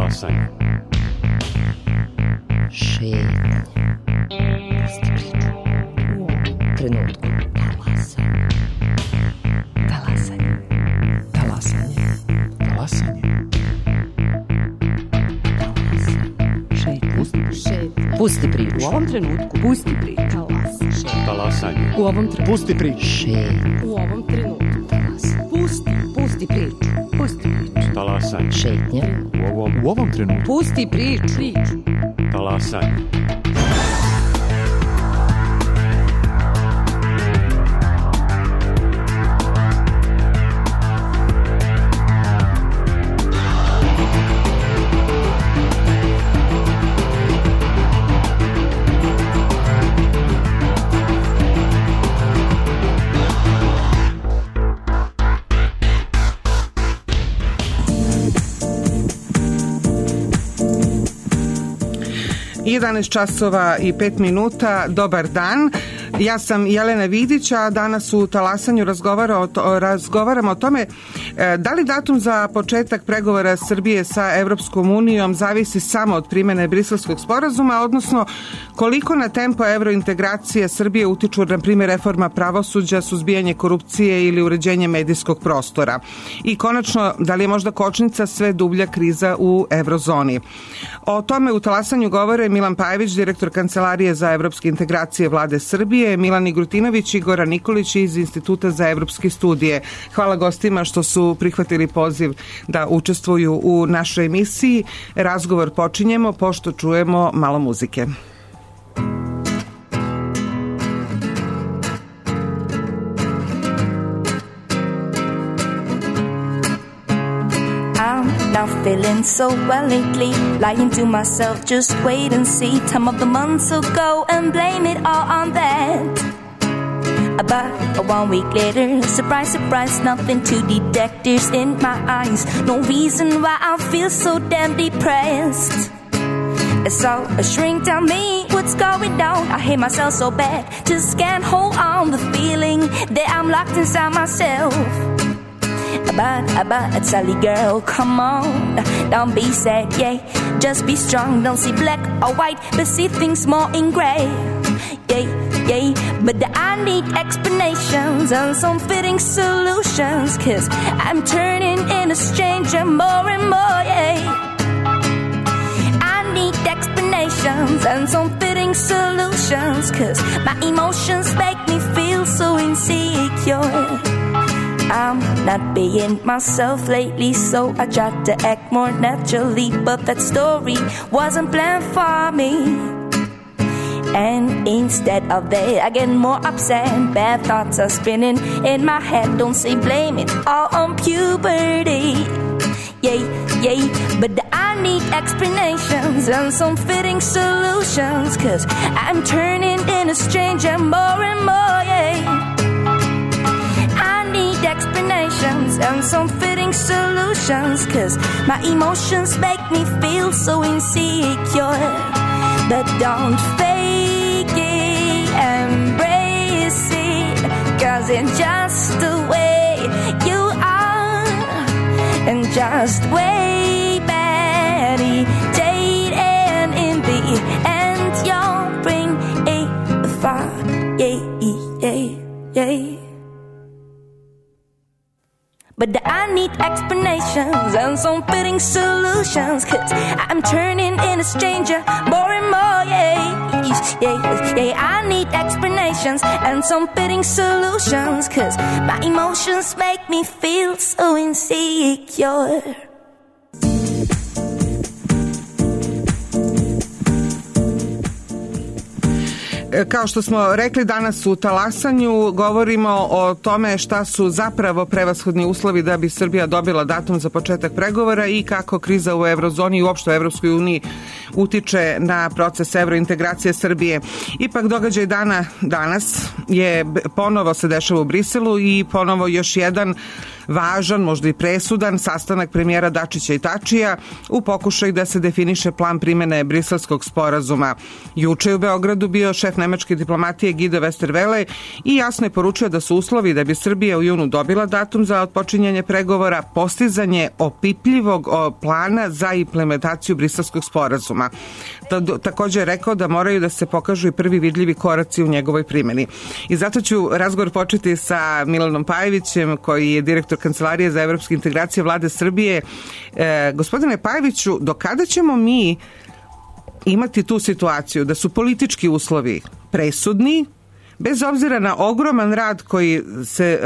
Talasanje. Šetnje. Pusti priču. U ovom trenutku. Talasanje. Talasanje. Talasanje. Šetnje. Pusti priču. U ovom trenutku. Pusti priču. Talasanje. U ovom trenutku. Pusti priču. Šetnje. U ovom trenutku. Pusti priču. Pusti priču. Talasanje. Šetnje. U ovom trenutku. Pusti priču. Talasanje. Jedanaest časova i 5 minuta. Dobar dan. Ja sam Jelena Vidić, a danas u Talasanju razgovaramo o tome da li datum za početak pregovora Srbije sa Evropskom unijom zavisi samo od primene Briselskog sporazuma, odnosno koliko na tempo evrointegracije Srbije utiču, na primjer, reforma pravosuđa, suzbijanje korupcije ili uređenje medijskog prostora. I konačno, da li je možda kočnica sve dublja kriza u evrozoni. O tome u Talasanju govore Milan Pajević, direktor Kancelarije za evropske integracije Vlade Srbije, Milan Igrutinović i Goran Nikolić iz Instituta za evropske studije. Hvala gostima što su prihvatili poziv da učestvuju u našoj emisiji. Razgovor počinjemo pošto čujemo malo muzike. Not feeling so well lately, lying to myself, just wait and see. Time of the months will go and blame it all on that. About 1 week later, surprise, surprise, nothing to detectives in my eyes. No reason why I feel so damn depressed. So a shrink tell me what's going down. I hate myself so bad, just can't hold on the feeling that I'm locked inside myself. But Sally girl, come on, don't be sad, yeah. Just be strong, don't see black or white, but see things more in gray. Yeah, but I need explanations and some fitting solutions, 'cause I'm turning into a stranger more and more, yeah. I need explanations and some fitting solutions, 'cause my emotions make me feel so insecure. I'm not being myself lately, so I tried to act more naturally, but that story wasn't planned for me. And instead of that, I get more upset. Bad thoughts are spinning in my head. Don't say blame it all on puberty. Yeah, but I need explanations and some fitting solutions, 'cause I'm turning into a stranger more and more, yeah. Explanations and some fitting solutions, 'cause my emotions make me feel so insecure. But don't fake it, embrace it, 'cause it's just the way you are. And just way meditate, and in the end you'll bring a fire, yeah. But I need explanations and some fitting solutions, 'cause I'm turning into a stranger more and more, yeah. I need explanations and some fitting solutions, 'cause my emotions make me feel so insecure. Kao što smo rekli, danas u Talasanju govorimo o tome šta su zapravo prevashodni uslovi da bi Srbija dobila datum za početak pregovora i kako kriza u evrozoni i uopšte u Evropskoj uniji utiče na proces evrointegracije Srbije. Ipak događaj dana danas je ponovo se dešava u Briselu i ponovo još jedan važan, možda i presudan sastanak premijera Dačića i Tačija u pokušaju da se definiše plan primene Briselskog sporazuma. Juče je u Beogradu bio šef nemačke diplomatije Guido Westerwelle i jasno je poručio da su uslovi da bi Srbija u junu dobila datum za otpočinjanje pregovora postizanje opipljivog plana za implementaciju Briselskog sporazuma. Također je rekao da moraju da se pokažu i prvi vidljivi koraci u njegovoj primjeni. I zato ću razgovor početi sa Milanom Pajevićem, koji je direktor Kancelarije za evropske integracije Vlade Srbije. Gospodine Pajeviću, do kada ćemo mi imati tu situaciju da su politički uslovi presudni, bez obzira na ogroman rad koji se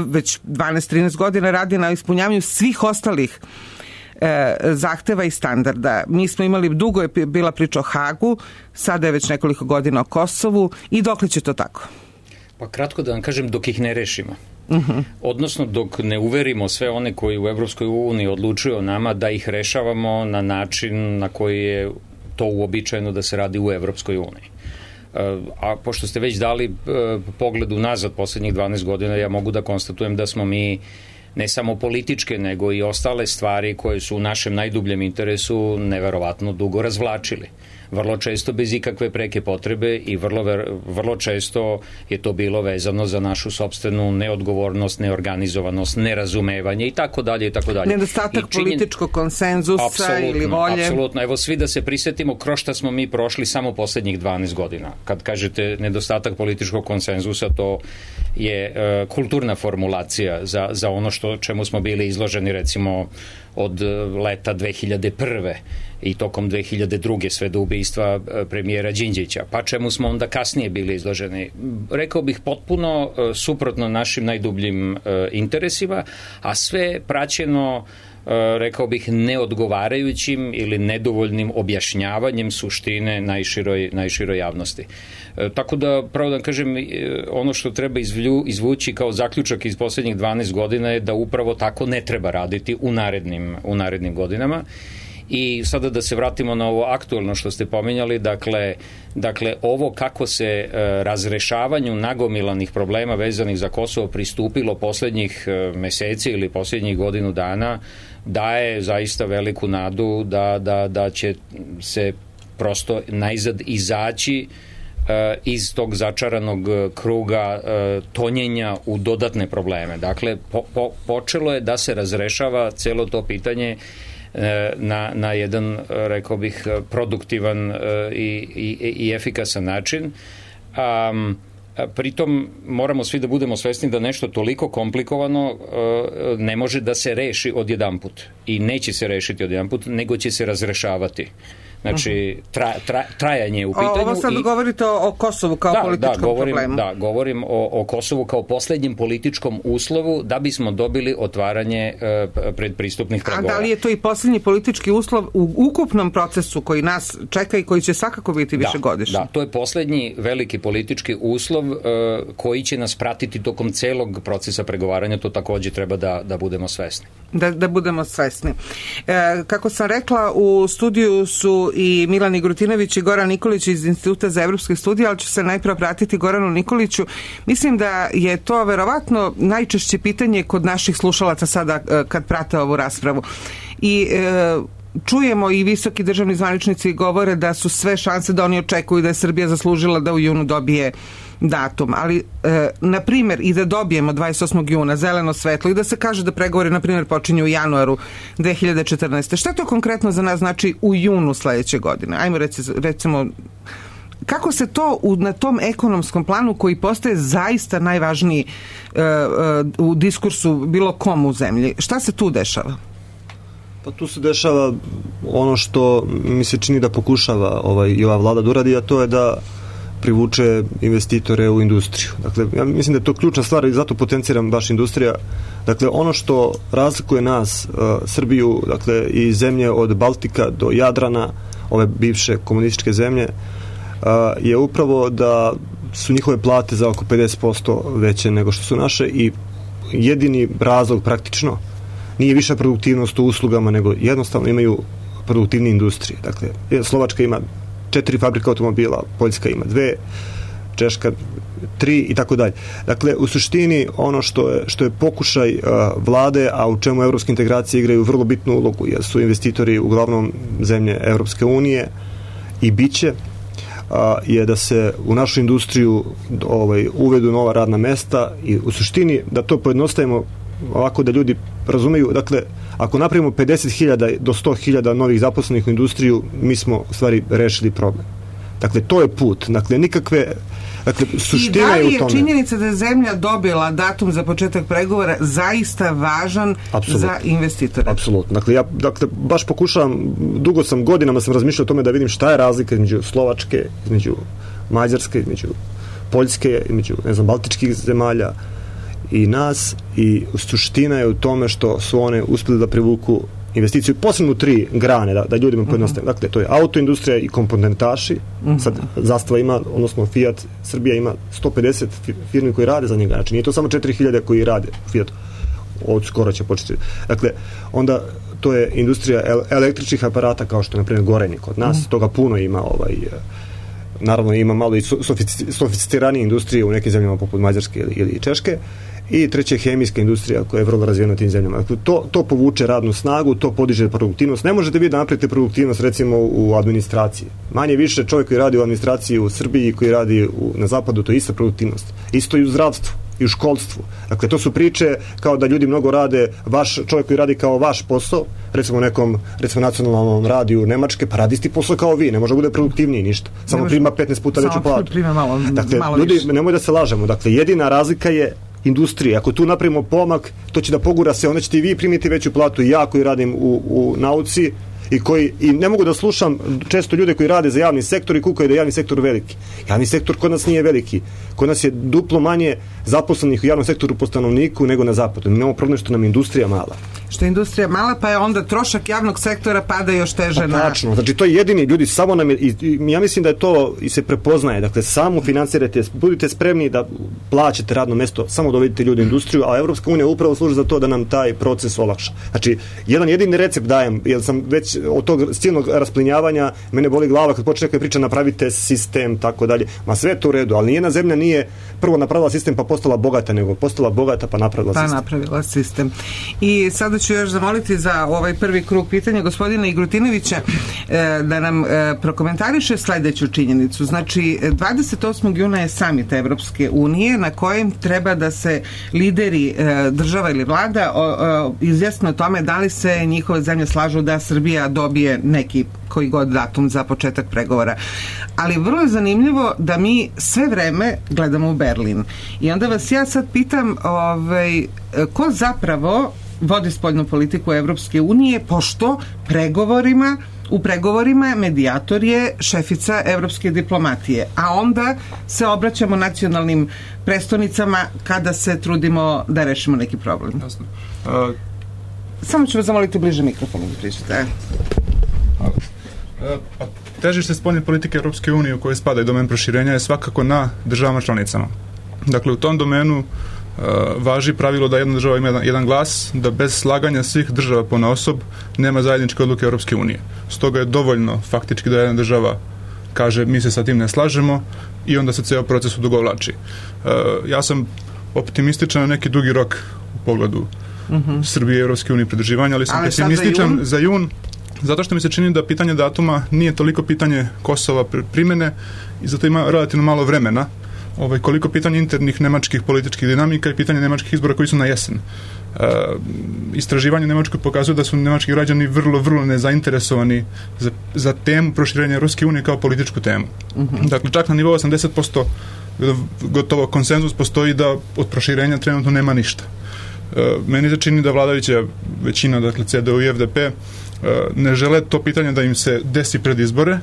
već 12-13 godina radi na ispunjavanju svih ostalih zahteva i standarda. Mi smo imali, dugo je bila priča o Hagu, sada je već nekoliko godina o Kosovu i dokle će to tako? Pa kratko da vam kažem, dok ih ne rešimo. Odnosno dok ne uverimo sve one koji u Evropskoj uniji odlučuju o nama da ih rešavamo na način na koji je to uobičajeno da se radi u Evropskoj uniji. A pošto ste već dali pogled unazad poslednjih 12 godina, ja mogu da konstatujem da smo mi ne samo političke, nego i ostale stvari koje su u našem najdubljem interesu neverovatno dugo razvlačili. Vrlo često bez ikakve preke potrebe i vrlo često je to bilo vezano za našu sopstvenu neodgovornost, neorganizovanost, nerazumevanje i tako dalje i tako dalje. Nedostatak političkog konsenzusa ili volje. Apsolutno. Evo svi da se prisetimo kroz šta smo mi prošli samo poslednjih 12 godina. Kad kažete nedostatak političkog konsenzusa, to je kulturna formulacija za ono čemu smo bili izloženi recimo od leta 2001. i tokom 2002. sve do ubistva premijera Đinđića, pa čemu smo onda kasnije bili izloženi. Rekao bih potpuno suprotno našim najdubljim interesima, a sve praćeno, rekao bih, neodgovarajućim ili nedovoljnim objašnjavanjem suštine najširoj javnosti. Tako da, pravo da kažem, ono što treba izvući kao zaključak iz poslednjih 12 godina je da upravo tako ne treba raditi u narednim godinama. I sada da se vratimo na ovo aktuelno što ste pominjali, dakle ovo kako se razrešavanju nagomilanih problema vezanih za Kosovo pristupilo poslednjih meseci ili poslednjih godinu dana daje zaista veliku nadu da će se prosto najzad izaći iz tog začaranog kruga tonjenja u dodatne probleme. Dakle, počelo je da se razrešava celo to pitanje na jedan, rekao bih, produktivan i efikasan način. Pritom moramo svi da budemo svesni da nešto toliko komplikovano ne može da se reši odjedanput i neće se rešiti odjedanput, nego će se razrešavati. Znači, trajanje u pitanju. Ovo sad govorite o Kosovu kao političkom problemu. Da, govorim o Kosovu kao poslednjem političkom uslovu da bismo dobili otvaranje predpristupnih pregovora. A da li je to i poslednji politički uslov u ukupnom procesu koji nas čeka i koji će svakako biti višegodišnji? Da, to je poslednji veliki politički uslov koji će nas pratiti tokom celog procesa pregovaranja, to takođe treba da budemo svesni. Da budemo svesni. Kako sam rekla, u studiju su i Milan Igrutinović i Goran Nikolić iz Instituta za evropske studije, ali ću se najprve pratiti Goranu Nikoliću. Mislim da je to verovatno najčešće pitanje kod naših slušalaca sada kad prate ovu raspravu. I čujemo i visoki državni zvaničnici govore da su sve šanse da oni očekuju da je Srbija zaslužila da u junu dobije datum, ali na primjer i da dobijemo 28. juna zeleno svetlo i da se kaže da pregovori na primjer počinju u januaru 2014. Šta to konkretno za nas znači u junu sledeće godine? Ajmo recimo, kako se to na tom ekonomskom planu koji postaje zaista najvažniji u diskursu bilo kom u zemlji, šta se tu dešava? Pa tu se dešava ono što mi se čini da pokušava i ova vlada da uradi, a to je da privuče investitore u industriju. Dakle, ja mislim da je to ključna stvar i zato potenciram baš industrija. Dakle, ono što razlikuje nas, Srbiju, dakle, i zemlje od Baltika do Jadrana, ove bivše komunističke zemlje, je upravo da su njihove plate za oko 50% veće nego što su naše i jedini razlog praktično nije viša produktivnost u uslugama, nego jednostavno imaju produktivne industrije. Dakle, Slovačka ima 4 fabrika automobila, Poljska ima 2, Češka 3 i tako dalje. Dakle, u suštini ono što je pokušaj vlade, a u čemu evropske integracije igraju vrlo bitnu ulogu, jer su investitori uglavnom zemlje Evropske unije i biće, je da se u našu industriju uvedu nova radna mesta i u suštini da to pojednostavimo ovako da ljudi razumeju. Dakle, ako napravimo 50.000 do 100.000 novih zaposlenih u industriju, mi smo u stvari rešili problem. Dakle, to je put. Dakle, nikakve... Dakle, suština je u tome. I da li je činjenica da je zemlja dobila datum za početak pregovora zaista važan za investitore? Apsolutno. Dakle, ja baš pokušavam, godinama sam razmišljao o tome da vidim šta je razlika između Slovačke, između Mađarske, između Poljske, između, baltičkih zemalja i nas, i suština je u tome što su one uspjeli da privuku investiciju, posebno u 3 grane, da ljudima pojednostavim. Dakle, to je autoindustrija i komponentaši. Sad Zastava ima, odnosno Fiat Srbija ima 150 firmi koji rade za njega. Znači, nije to samo 4.000 koji rade u Fiatu. Od skoro će početi. Dakle, onda to je industrija električnih aparata, kao što je, na primjer, Gorenje kod nas. Toga puno ima, naravno ima malo i sofisticiranije industrije u nekim zemljama poput Mađarske ili Češke. I treća je hemijska industrija koja je vrlo razvijena u tim zemljama. Dakle, to povuče radnu snagu, to podiže produktivnost. Ne možete vi da napravite produktivnost recimo u administraciji. Manje više čovjek koji radi u administraciji u Srbiji i koji radi na zapadu, to je ista produktivnost. Isto i u zdravstvu i u školstvu. Dakle, to su priče kao da ljudi mnogo rade, čovjek koji radi kao vaš posao, recimo nekom nacionalnom radiju Nemačke, pa radi isti posao kao vi, ne može bude produktivniji ništa. Samo prima 15 puta veću platu. Dakle, ljudi, nemoj da se lažemo. Dakle, jedina razlika je industrije. Ako tu napravimo pomak, to će da pogura se, onda ćete i vi primiti veću platu i ja koji radim u nauci i ne mogu da slušam često ljude koji rade za javni sektor i kukaju da je javni sektor veliki. Javni sektor kod nas nije veliki. Kod nas je duplo manje zaposlenih u javnom sektoru po stanovniku nego na zapadu. Mi imamo problem što nam je industrija mala. Što je industrija mala, pa je onda trošak javnog sektora pada još teže na... Tačno, znači to je jedini, ljudi, samo nam je, ja mislim da je to i se prepoznaje, dakle samo financirajte, budite spremni da plaćate radno mesto, samo dovedite ljudi u industriju, a Evropska unija upravo služi za to da nam taj proces olakša. Znači, jedan jedini recept dajem, jer sam već od tog silnog rasplinjavanja, mene boli glava kad počne neka priča, napravite sistem, tako dalje, ma sve to u redu, ali nijedna zemlja nije prvo napravila sistem pa postala bogata, nego postala bogata pa napravila sistem. I sada ću još zamoliti za ovaj prvi krug pitanja gospodina Igrutinovića da nam prokomentariše sledeću činjenicu. Znači, 28. juna je samit Evropske unije na kojem treba da se lideri država ili vlada izjasne o tome da li se njihove zemlje slažu da Srbija dobije neki koji god datum za početak pregovora. Ali vrlo je zanimljivo da mi sve vreme gledamo u Berlin. I onda vas ja sad pitam ko zapravo vodi spoljnu politiku Evropske unije, pošto u pregovorima medijator je šefica evropske diplomatije, a onda se obraćamo nacionalnim prestonicama kada se trudimo da rešimo neki problem. Jasno. Samo ću vas zamoliti bliže mikrofonu da pričate. Težište spoljne politike Evropske unije u kojoj spada i domen proširenja je svakako na državama članicama. Dakle, u tom domenu važi pravilo da jedna država ima jedan glas, da bez slaganja svih država ponaosob nema zajedničke odluke Europske unije. Stoga je dovoljno faktički da jedna država kaže mi se sa tim ne slažemo i onda se ceo proces odugovlači. Ja sam optimističan na neki dugi rok u pogledu Srbije i Europske unije pridruživanja, ali sam pesimističan za jun, zato što mi se čini da pitanje datuma nije toliko pitanje Kosova primene i zato ima relativno malo vremena. Koliko pitanje internih nemačkih političkih dinamika i pitanje nemačkih izbora koji su na jesen. Istraživanje u Nemačkoj pokazuje da su nemački građani vrlo nezainteresovani za temu proširenja Ruske unije kao političku temu. Dakle, čak na nivou 80% gotovo konsenzus postoji da od proširenja trenutno nema ništa. Meni se čini da vladajuća većina, dakle CDU i FDP, ne žele to pitanje da im se desi pred izbore,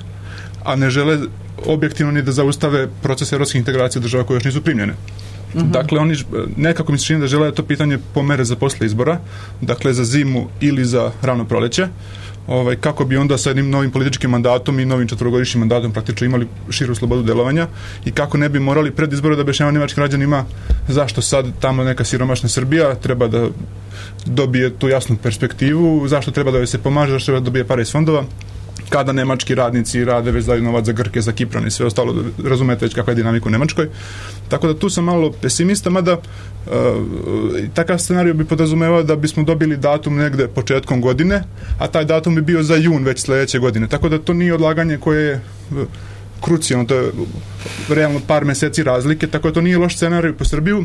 a ne žele objektivno ni da zaustave proces evropskih integracija država koje još nisu primljene. Dakle, oni nekako mi se čini da žele to pitanje pomere za posle izbora, dakle za zimu ili za rano proleće, kako bi onda sa jednim novim političkim mandatom i novim 4-godišnjim mandatom praktično imali širu slobodu delovanja i kako ne bi morali pred izbore da objašnjavaju nemačkim građanima zašto sad tamo neka siromašna Srbija treba da dobije tu jasnu perspektivu, zašto treba da joj se pomaže, zašto treba da dobije pare iz fondova, kada nemački radnici rade već daju novac za Grke, za Kipran i sve ostalo, razumete već kakva je dinamika u Nemačkoj. Tako da tu sam malo pesimista, mada takav scenarij bi podrazumevao da bismo dobili datum negde početkom godine, a taj datum bi bio za jun već sledeće godine. Tako da to nije odlaganje koje je krucijalno, to je realno par meseci razlike, tako da to nije loš scenarij po Srbiju,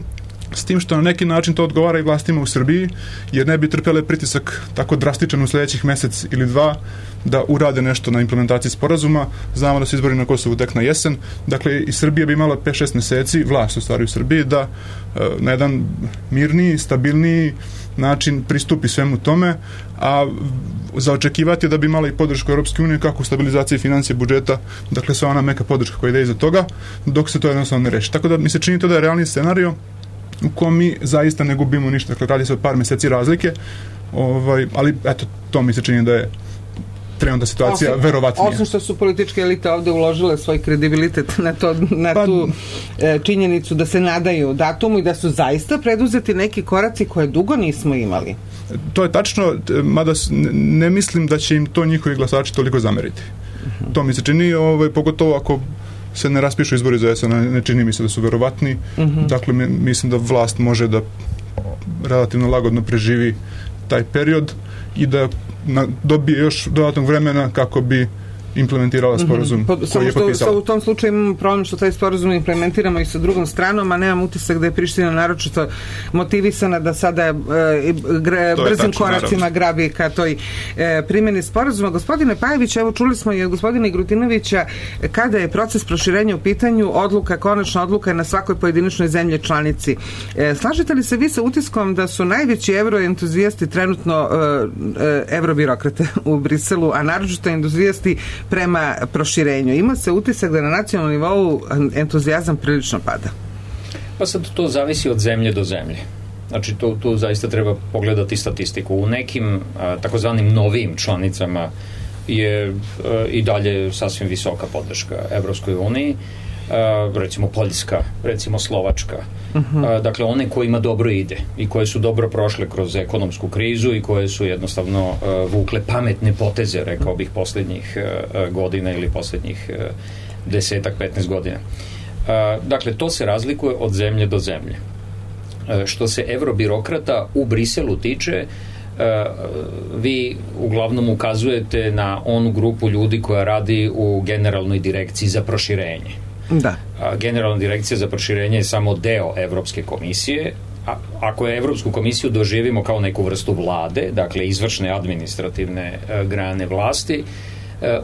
s tim što na neki način to odgovara i vlastima u Srbiji, jer ne bi trpele pritisak tako drastičan u sljedećih mesec ili dva da urade nešto na implementaciji sporazuma. Znamo da su izbori na Kosovu tek na jesen, dakle i Srbija bi imala 5-6 meseci, vlast u stvari u Srbiji, da na jedan mirniji, stabilniji način pristupi svemu tome, a za očekivati je da bi imala i podršku Europske unije kako u stabilizaciji financije budžeta, dakle sva ona meka podrška koja ide iza toga, dok se to jednostavno ne reši. Tako da mi se čini to da je realni scenario u kojem mi zaista ne gubimo ništa, dakle radi se o par meseci razlike, ali eto, to mi se čini da je trenutna situacija verovatnija. Osim što su političke elite ovde uložile svoj kredibilitet na tu činjenicu da se nadaju datumu i da su zaista preduzeti neki koraci koje dugo nismo imali. To je tačno, mada ne mislim da će im to njihovi glasači toliko zameriti. To mi se čini, pogotovo ako se ne raspišu izbori za jesen, ne čini mi se da su verovatni. Dakle, mislim da vlast može da relativno lagodno preživi taj period i da dobije još dodatnog vremena kako bi implementirala sporazum koji je potpisala. U tom slučaju imamo problem što taj sporazum implementiramo i sa drugom stranom, a nemam utisak da je Priština naročito motivisana da sada brzim koracima grabi ka toj primjeni sporazuma. Gospodine Pajević, evo čuli smo i od gospodina Igrutinovića kada je proces proširenja u pitanju, konačna odluka je na svakoj pojedinačnoj zemlji članici. Slažete li se vi sa utiskom da su najveći euroentuzijasti trenutno eurobirokrate u Briselu, a naročito entuzijasti prema proširenju? Ima se utisak da na nacionalnom nivou entuzijazam prilično pada. Pa sad to zavisi od zemlje do zemlje. Znači tu zaista treba pogledati statistiku. U nekim takozvanim novim članicama je i dalje sasvim visoka podrška Evropskoj uniji, recimo Poljska, recimo Slovačka. Dakle, one kojima dobro ide i koje su dobro prošle kroz ekonomsku krizu i koje su jednostavno vukle pametne poteze, rekao bih, posljednjih godina ili posljednjih 10-15 godina. Dakle, to se razlikuje od zemlje do zemlje. Što se eurobirokrata u Briselu tiče, vi uglavnom ukazujete na onu grupu ljudi koja radi u Generalnoj direkciji za proširenje. Da. Generalna direkcija za proširenje je samo deo Evropske komisije. Ako je Evropsku komisiju doživimo kao neku vrstu vlade, dakle izvršne administrativne grane vlasti,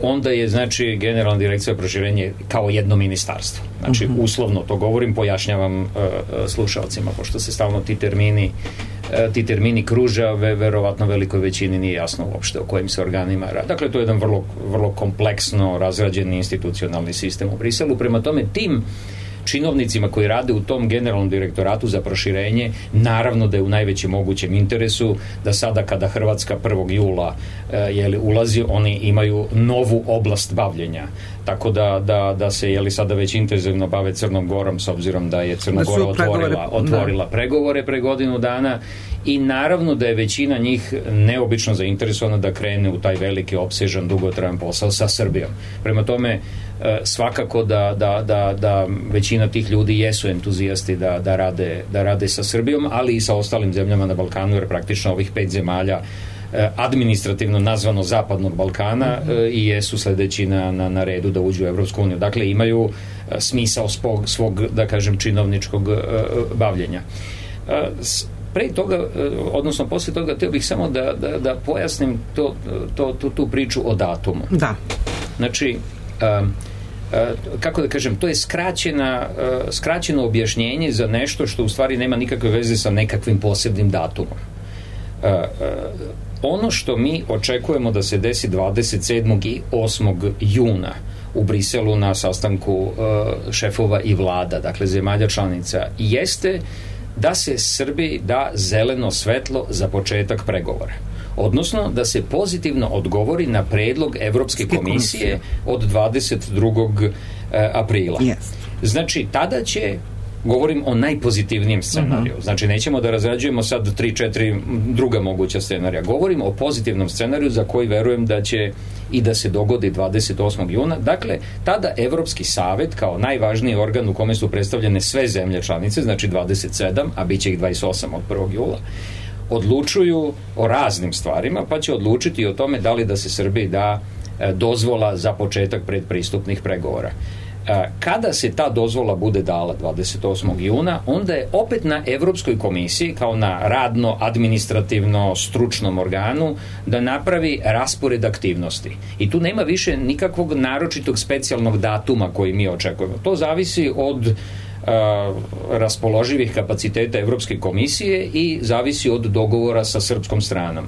onda je, znači, Generalna direkcija za proširenje kao jedno ministarstvo. Znači, uslovno to govorim, pojašnjavam slušalcima, pošto se stalno ti termini kruže, verovatno velikoj većini nije jasno uopšte o kojim se organima radi. Dakle, to je jedan vrlo, vrlo kompleksno razrađeni institucionalni sistem u Briselu. Prema tome, tim činovnicima koji rade u tom generalnom direktoratu za proširenje, naravno da je u najvećem mogućem interesu da sada kada Hrvatska 1. jula ulazi, oni imaju novu oblast bavljenja. Tako da se sada već intenzivno bave Crnom Gorom, s obzirom da je Crna Gora otvorila pregovore pre godinu dana, i naravno da je većina njih neobično zainteresovana da krene u taj veliki, opsežan, dugotrajan posao sa Srbijom. Prema tome, svakako da većina tih ljudi jesu entuzijasti da rade sa Srbijom, ali i sa ostalim zemljama na Balkanu, jer praktično ovih 5 zemalja administrativno nazvano Zapadnog Balkana i jesu sledeći na redu da uđu u Evropsku uniju. Dakle, imaju smisao svog, da kažem, činovničkog bavljenja. Pre toga, odnosno posle toga, htio bih samo da pojasnim tu priču o datumu. Da. Znači, kako da kažem, to je skraćeno objašnjenje za nešto što u stvari nema nikakve veze sa nekakvim posebnim datumom. Ono što mi očekujemo da se desi 27. i 8. juna u Briselu na sastanku šefova i vlada, dakle zemalja članica, jeste da se Srbiji da zeleno svetlo za početak pregovora. Odnosno da se pozitivno odgovori na predlog Evropske komisije od 22. aprila. Znači, tada će, govorim o najpozitivnijem scenariju. Znači, nećemo da razrađujemo sad 3-4 druga moguća scenarija. Govorim o pozitivnom scenariju za koji verujem da će i da se dogodi 28. juna. Dakle, tada Evropski savet, kao najvažniji organ u kome su predstavljene sve zemlje članice, znači 27, a bit će ih 28 od 1. jula, odlučuju o raznim stvarima, pa će odlučiti o tome da li da se Srbiji da dozvola za početak predpristupnih pregovora. Kada se ta dozvola bude dala 28. juna, onda je opet na Evropskoj komisiji, kao na radno, administrativno, stručnom organu, da napravi raspored aktivnosti. I tu nema više nikakvog naročitog specijalnog datuma koji mi očekujemo. To zavisi od raspoloživih kapaciteta Evropske komisije i zavisi od dogovora sa srpskom stranom.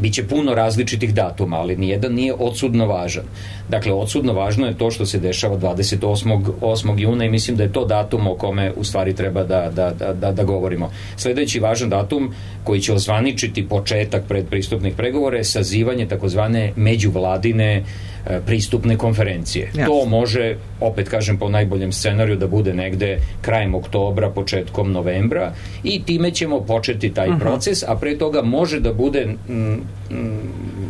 Biće puno različitih datuma, ali nijedan nije odsudno važan. Dakle, odsudno važno je to što se dešava 28. juna i mislim da je to datum o kome u stvari treba da govorimo. Sledeći važan datum koji će ozvaničiti početak predpristupnih pregovora je sazivanje takozvane međuvladine pristupne konferencije. Yes. To može, opet kažem po najboljem scenariju, da bude negde krajem oktobra, početkom novembra i time ćemo početi taj proces, a pre toga može da bude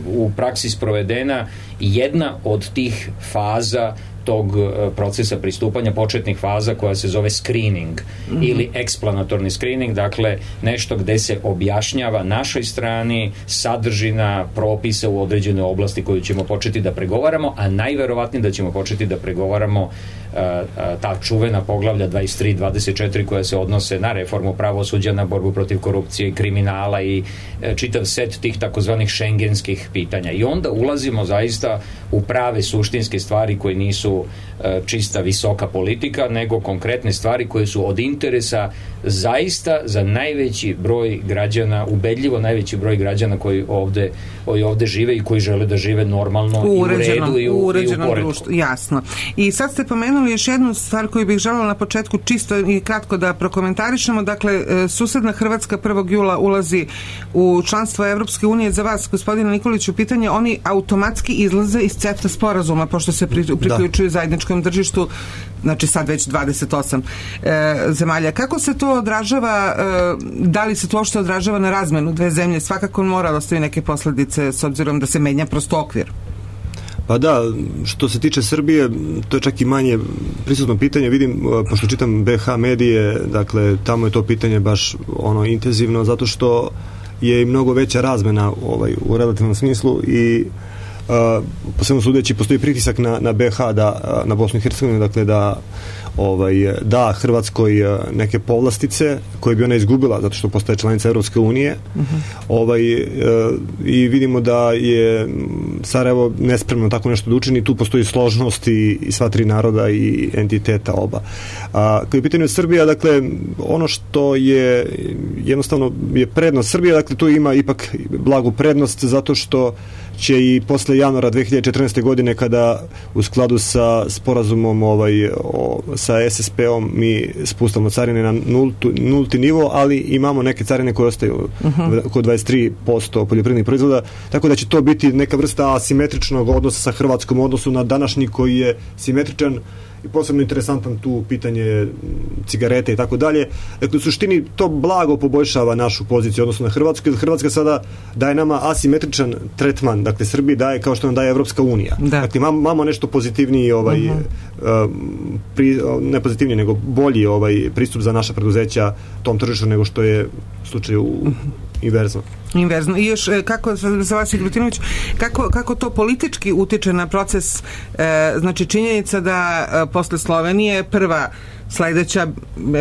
u praksi sprovedena jedna od tih faza tog procesa pristupanja, početnih faza koja se zove screening ili eksplanatorni screening, dakle nešto gde se objašnjava našoj strani sadržina propisa u određenoj oblasti koju ćemo početi da pregovaramo, a najverovatnije da ćemo početi da pregovaramo ta čuvena poglavlja 23 i 24 koja se odnose na reformu pravosuđa, na borbu protiv korupcije i kriminala i čitav set tih takozvanih šengenskih pitanja. I onda ulazimo zaista u prave suštinske stvari koje nisu čista visoka politika, nego konkretne stvari koje su od interesa zaista za najveći broj građana, ubedljivo najveći broj građana koji ovde žive i koji žele da žive normalno i u redu i u poretku. Jasno. I sad ste pomenuli još jednu stvar koju bih želela na početku čisto i kratko da prokomentarišemo. Dakle, susedna Hrvatska 1. jula ulazi u članstvo Evropske unije. Za vas, gospodine Nikoliću, pitanje, oni automatski izlaze iz CEFTA sporazuma, pošto se priključuju zajedničkom tržištu, znači sad već 28 zemalja. Kako se to odražava, da li se to uopšte odražava na razmenu dve zemlje? Svakako mora da ostavi neke posledice s obzirom da se menja prosto okvir. Pa da, što se tiče Srbije, to je čak i manje prisutno pitanje. Vidim, pošto čitam BH medije, dakle, tamo je to pitanje baš intenzivno, zato što je i mnogo veća razmena u relativnom smislu i posebno sudeći postoji pritisak na BH, na Bosnu i Hercegovinu, dakle da Hrvatskoj neke povlastice koje bi ona izgubila zato što postaje članica Evropske unije. I vidimo da je Sarajevo nespremno tako nešto da učini. Tu postoji složnost i sva tri naroda i entiteta oba. Kad je pitanje Srbija, dakle, ono što je jednostavno je prednost Srbije, dakle, tu ima ipak blagu prednost zato što će i posle januara 2014. godine kada u skladu sa sporazumom sa SSP-om mi spustamo carine na nulti nivo, ali imamo neke carine koje ostaju oko 23% poljoprivrednih proizvoda, tako da će to biti neka vrsta asimetričnog odnosa sa Hrvatskom u odnosu na današnji koji je simetričan i posebno interesantan tu pitanje cigarete i tako dalje. Dakle, u suštini to blago poboljšava našu poziciju odnosno na Hrvatsku, jer Hrvatska sada daje nama asimetričan tretman, dakle Srbiji daje kao što nam daje Evropska unija. Da. Dakle, imamo nešto pozitivniji ne pozitivniji, nego bolji pristup za naša preduzeća tom tržištu nego što je u slučaju inverzno. I još, kako za vas, Igrutinović, kako to politički utiče na proces, znači činjenica da posle Slovenije prva sledeća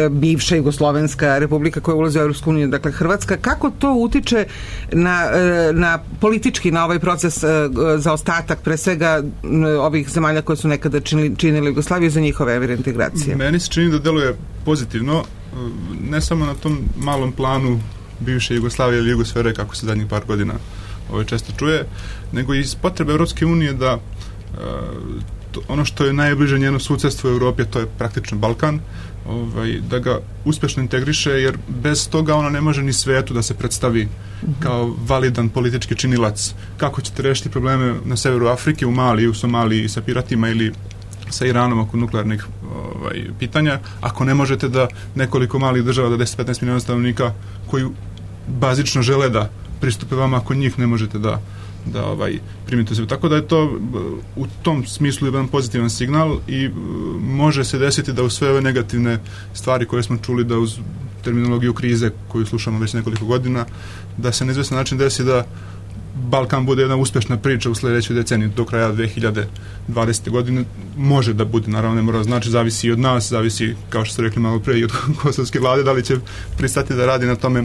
bivša Jugoslovenska republika koja ulazi u Evropsku uniju, dakle Hrvatska, kako to utiče na politički, na ovaj proces za ostatak, pre svega ovih zemalja koje su nekada činili Jugoslaviju, za njihove integracije? Meni se čini da deluje pozitivno, ne samo na tom malom planu bivše Jugoslavije ili Jugosfere, kako se zadnjih par godina često čuje, nego iz potrebe Evropske unije da ono što je najbliže njeno susedstvo u Evropi, to je praktično Balkan, da ga uspešno integriše, jer bez toga ona ne može ni svetu da se predstavi kao validan politički činilac. Kako ćete rešiti probleme na severu Afrike, u Maliji, u Somaliji sa piratima ili sa Iranom oko nuklearnih pitanja, ako ne možete da nekoliko malih država, da 10-15 miliona stanovnika koji bazično žele da pristupe vama, ako njih ne možete da primite sebe. Tako da je to u tom smislu jedan pozitivan signal i može se desiti da u sve ove negativne stvari koje smo čuli, da uz terminologiju krize koju slušamo već nekoliko godina, da se na izvestan način desi da Balkan bude jedna uspešna priča u sledećoj deceniji do kraja 2020. godine. Može da bude, naravno ne mora znači, zavisi i od nas, zavisi, kao što ste rekli malo pre, i od kosovske vlade, da li će pristati da radi na tome,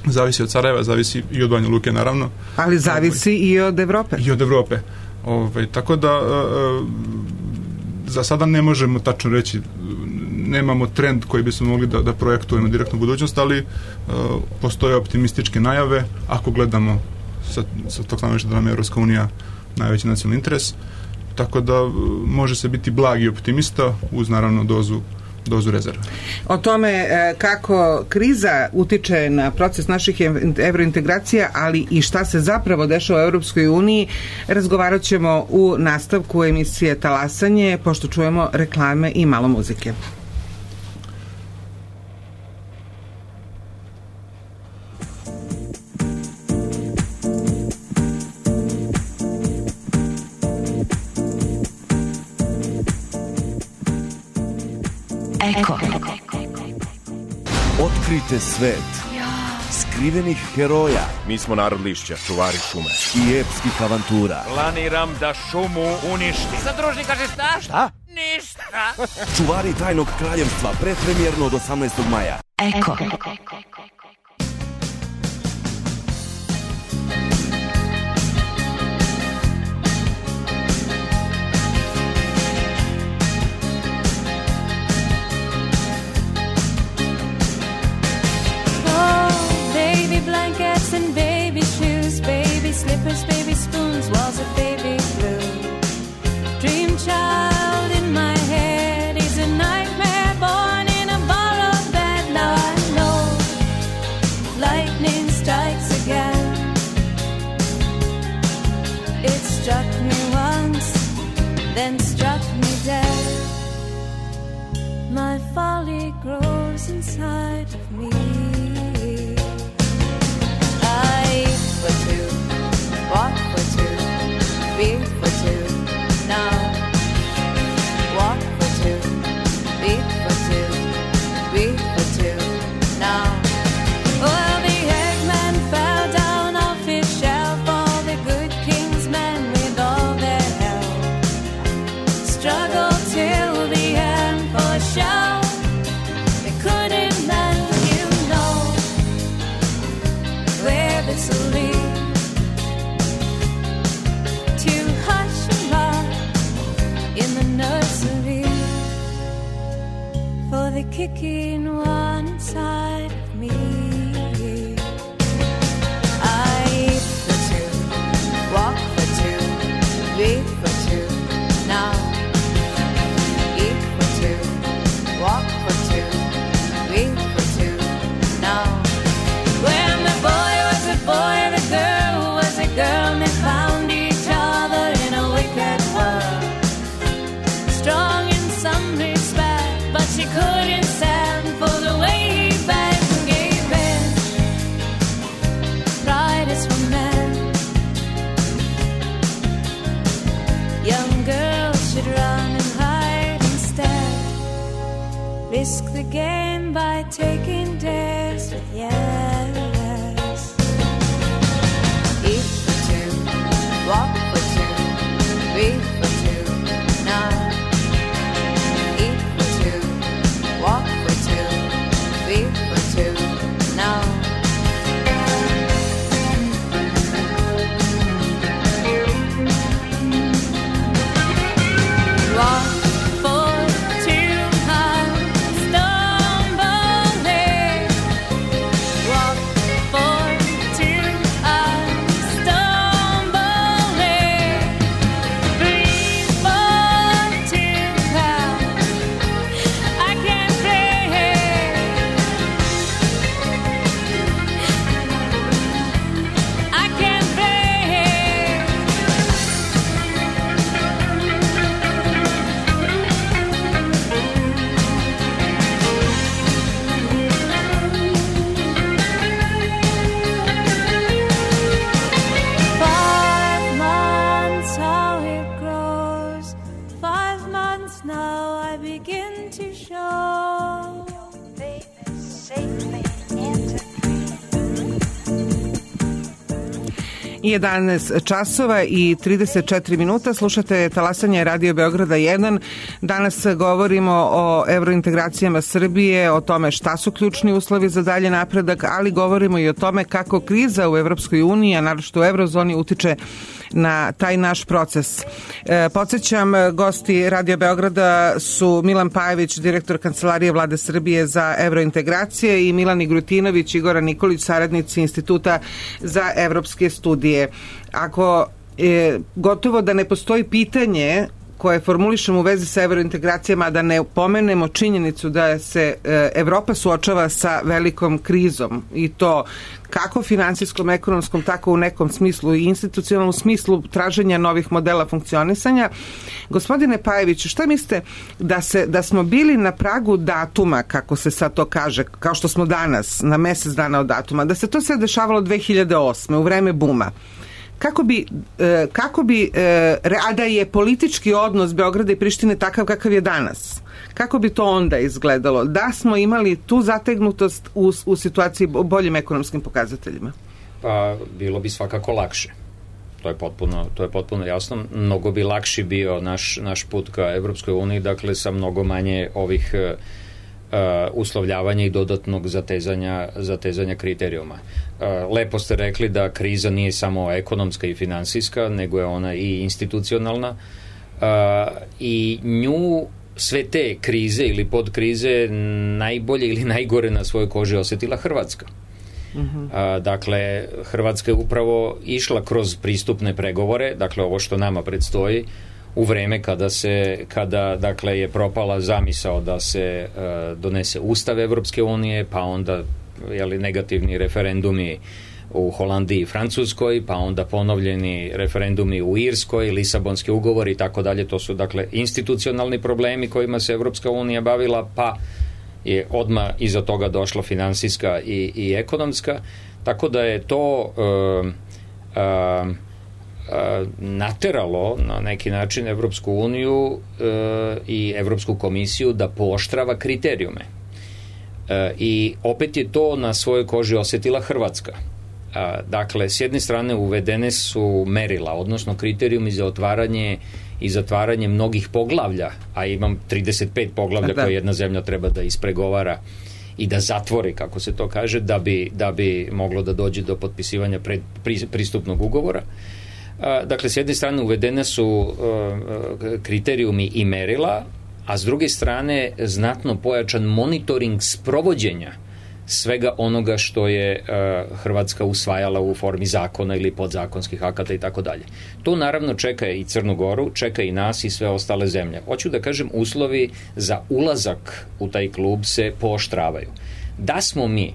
zavisi od Sarajeva, zavisi i od Banja Luke, naravno. Ali zavisi i od Evrope. I od Evrope. Tako da za sada ne možemo tačno reći, nemamo trend koji bismo mogli da projektujemo direktnu budućnost, ali postoje optimističke najave ako gledamo sa tog stanovišta da nam je Evropska unija najveći nacionalni interes, tako da može se biti blagi optimista uz naravno dozu rezerve. O tome kako kriza utiče na proces naših evrointegracija, ali i šta se zapravo dešava u Evropskoj uniji, razgovarat ćemo u nastavku emisije Talasanje, pošto čujemo reklame i malo muzike. Eko. Otkrite svet skrivenih heroja. Mi smo narod lišća, čuvari šume I epskih avantura. Planiram da šumu uništim. Zadružnik kaže šta? Šta? Ništa. Čuvari tajnog kraljevstva, predpremjerno od 18. maja. Eko. Blankets and baby shoes, baby slippers, baby spoons, walls of baby blue. Dream child in my head, he's a nightmare born in a borrowed bed. Now I know lightning strikes again. It struck me once, then struck me dead. My folly grows inside of me. Eat for two, walk for two, be for two, now. Walk for two, be for two, be for two, now. Well, the eggman fell down off his shelf, all the good king's men with all their help struggled till the end for a show. They couldn't let you know where this will lead, to hush and rock in the nursery for the kicking one inside of me. I eat for two, walk for two, beat for two, now. Eat for two, walk for two, beat for two, now. When the boy was a boy, the girl was a girl, and they found each other in a wicked world. Strong in some respect, but she couldn't stand for the 11 časova i 34 minuta. Slušate talasanje Radio Beograda 1. Danas govorimo o evrointegracijama Srbije, o tome šta su ključni uslovi za dalje napredak, ali govorimo i o tome kako kriza u Evropskoj uniji, a naročito u eurozoni, utiče na taj naš proces. Podsjećam, gosti Radio Beograda su Milan Pajević, direktor Kancelarije Vlade Srbije za evrointegracije, i Milan Igrutinović i Goran Nikolić, saradnici Instituta za evropske studije. Ako gotovo da ne postoji pitanje koje formulišemo u vezi sa evrointegracijama, da ne pomenemo činjenicu da se Evropa suočava sa velikom krizom, i to kako finansijskom, ekonomskom, tako u nekom smislu i institucionalnom smislu traženja novih modela funkcionisanja. Gospodine Pajeviću, šta mislite da smo bili na pragu datuma, kako se sad to kaže, kao što smo danas, na mesec dana od datuma, da se to sve dešavalo 2008. u vreme buma? Kako bi a da je politički odnos Beograda i Prištine takav kakav je danas, kako bi to onda izgledalo da smo imali tu zategnutost u situaciji boljim ekonomskim pokazateljima? Pa bilo bi svakako lakše. To je potpuno jasno. Mnogo bi lakši bio naš put ka Evropskoj uniji, dakle sa mnogo manje ovih uslovljavanja i dodatnog zatezanja kriterijuma. Lepo ste rekli da kriza nije samo ekonomska i finansijska, nego je ona i institucionalna, i nju sve te krize ili podkrize najbolje ili najgore na svojoj koži osjetila Hrvatska. Dakle, Hrvatska je upravo išla kroz pristupne pregovore, dakle ovo što nama predstoji, u vreme kada dakle je propala zamisao da se donese Ustav Evropske unije, pa onda negativni referendumi u Holandiji i Francuskoj, pa onda ponovljeni referendumi u Irskoj, Lisabonski ugovor i tako dalje. To su dakle institucionalni problemi kojima se Evropska unija bavila, pa je odmah iza toga došla finansijska i ekonomska, tako da je to nateralo na neki način Evropsku uniju i Evropsku komisiju da pooštrava kriterijume. I opet je to na svojoj koži osjetila Hrvatska. Dakle, s jedne strane uvedene su merila, odnosno kriterijumi za otvaranje i zatvaranje mnogih poglavlja, a imam 35 poglavlja koje jedna zemlja treba da ispregovara i da zatvori, kako se to kaže, da bi moglo da dođe do potpisivanja pristupnog ugovora. Dakle, s jedne strane uvedene su kriterijumi i merila, a s druge strane znatno pojačan monitoring sprovođenja svega onoga što je Hrvatska usvajala u formi zakona ili podzakonskih akata i tako dalje. To naravno čeka i Crnu Goru, čeka i nas i sve ostale zemlje. Hoću da kažem, uslovi za ulazak u taj klub se pooštravaju. Da smo mi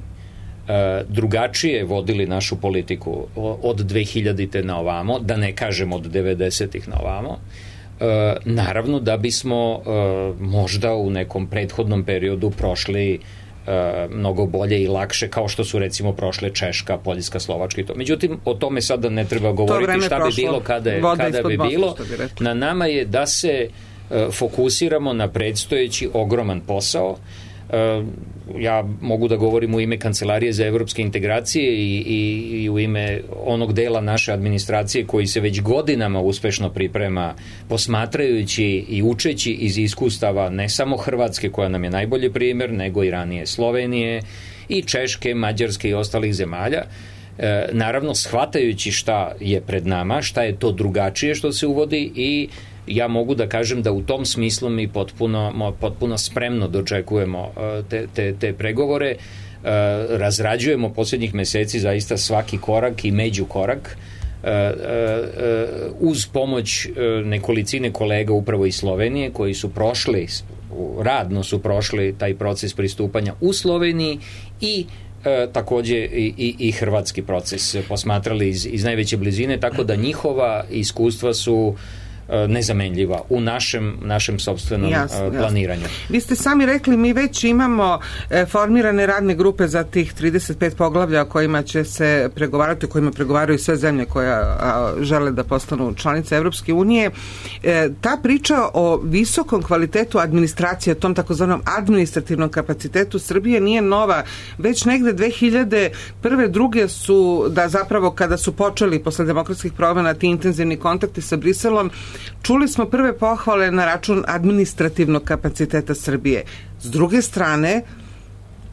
drugačije vodili našu politiku od 2000-te na ovamo, da ne kažem od 90-ih na ovamo, naravno da bismo možda u nekom prethodnom periodu prošli mnogo bolje i lakše, kao što su recimo prošle Češka, Poljska, Slovačka i to. Međutim, o tome sada ne treba govoriti šta bi bilo kada bi bilo. Na nama je da se fokusiramo na predstojeći ogroman posao. Ja mogu da govorim u ime Kancelarije za evropske integracije i u ime onog dela naše administracije koji se već godinama uspešno priprema, posmatrajući i učeći iz iskustava ne samo Hrvatske, koja nam je najbolji primer, nego i ranije Slovenije i Češke, Mađarske i ostalih zemalja, naravno shvatajući šta je pred nama, šta je to drugačije što se uvodi, i ja mogu da kažem da u tom smislu mi potpuno spremno dočekujemo te pregovore, razrađujemo posljednjih meseci zaista svaki korak i međukorak, uz pomoć nekolicine kolega upravo iz Slovenije koji su radno su prošli taj proces pristupanja u Sloveniji i takođe i hrvatski proces posmatrali iz najveće blizine, tako da njihova iskustva su nezamenljiva u našem sopstvenom planiranju. Vi ste sami rekli, mi već imamo formirane radne grupe za tih 35 poglavlja o kojima će se pregovarati, o kojima pregovaraju sve zemlje koje žele da postanu članice Evropske unije. Ta priča o visokom kvalitetu administracije, tom takozvanom administrativnom kapacitetu Srbije nije nova. Već negde 2001. druge su, da zapravo kada su počeli posle demokratskih promena ti intenzivni kontakti sa Briselom, čuli smo prve pohvale na račun administrativnog kapaciteta Srbije. S druge strane,